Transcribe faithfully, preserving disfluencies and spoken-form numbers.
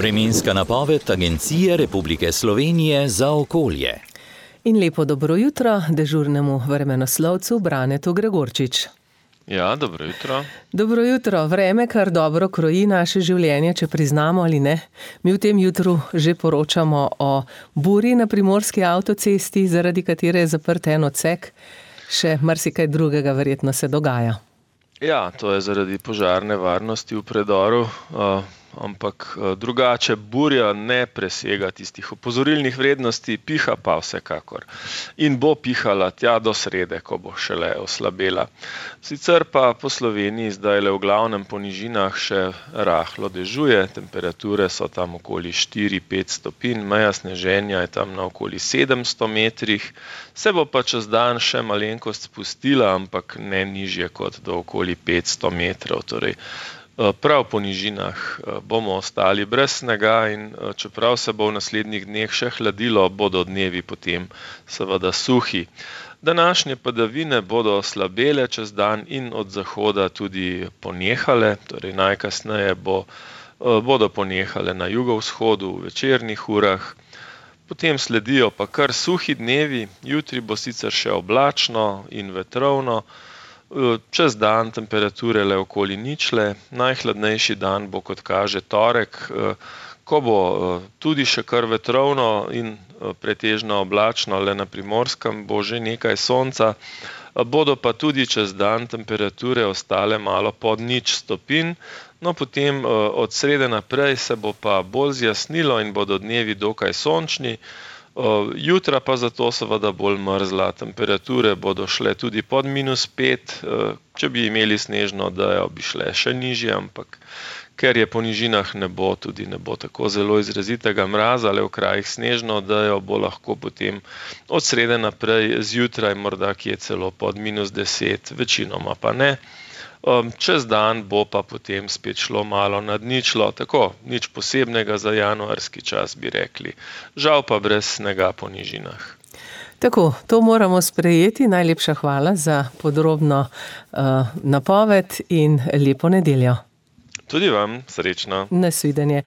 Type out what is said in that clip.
Vremenska napoved Agencije Republike Slovenije za okolje. In lepo dobro jutro dežurnemu vremenoslovcu Branetu Gregorčič. Ja, dobro jutro. Dobro jutro. Vreme kar dobro kroji naše življenje, če priznamo ali ne. Mi v tem jutru že poročamo o burji na primorski avtocesti, zaradi katere je zaprt en odsek. Še marsikaj drugega verjetno se dogaja. Ja, to je zaradi požarne varnosti v predoru, uh, ampak uh, drugače burja ne presega tistih opozorilnih vrednosti, piha pa vsekakor. In bo pihala tja do srede, ko bo šele oslabela. Sicer pa po Sloveniji zdaj le v glavnem po nižinah še rahlo dežuje, temperature so tam okoli štiri pet stopinj, meja sneženja je tam na okoli sedemsto metrih, se bo pa čez dan še malenkost spustila, ampak ne nižje kot do okoli petsto metrov, torej prav po nižinah bomo ostali brez snega in čeprav se bo v naslednjih dneh še hladilo, bodo dnevi potem seveda suhi. Današnje padavine bodo slabele čez dan in od zahoda tudi ponehale, torej najkasneje bo, bodo ponehale na jugovzhodu v večernih urah. Potem sledijo pa kar suhi dnevi, jutri bo sicer še oblačno in vetrovno, čez dan temperature le okoli ničle, najhladnejši dan bo, kot kaže, torek, ko bo tudi še kar vetrovno in pretežno oblačno, le na Primorskem bo že nekaj sonca, bodo pa tudi čez dan temperature ostale malo pod nič stopinj, no potem od srede naprej se bo pa bolj zjasnilo in bodo dnevi dokaj sončni, jutra pa zato seveda bolj mrzla, temperature bodo šle tudi pod minus pet, če bi imeli snežno odejo, bi šle še nižje, ampak ker je po nižinah ne bo, tudi ne bo tako zelo izrazitega mraza, le v krajih snežno odejo bo lahko potem od srede naprej zjutraj morda kje celo pod minus deset, večinoma pa ne. Čez dan bo pa potem spet šlo malo nad ničlo, tako, nič posebnega za januarski čas, bi rekli. Žal pa brez snega po nižinah. Tako, to moramo sprejeti. Najlepša hvala za podrobno uh, napoved in lepo nedeljo. Tudi vam, srečno. Nasvidenje.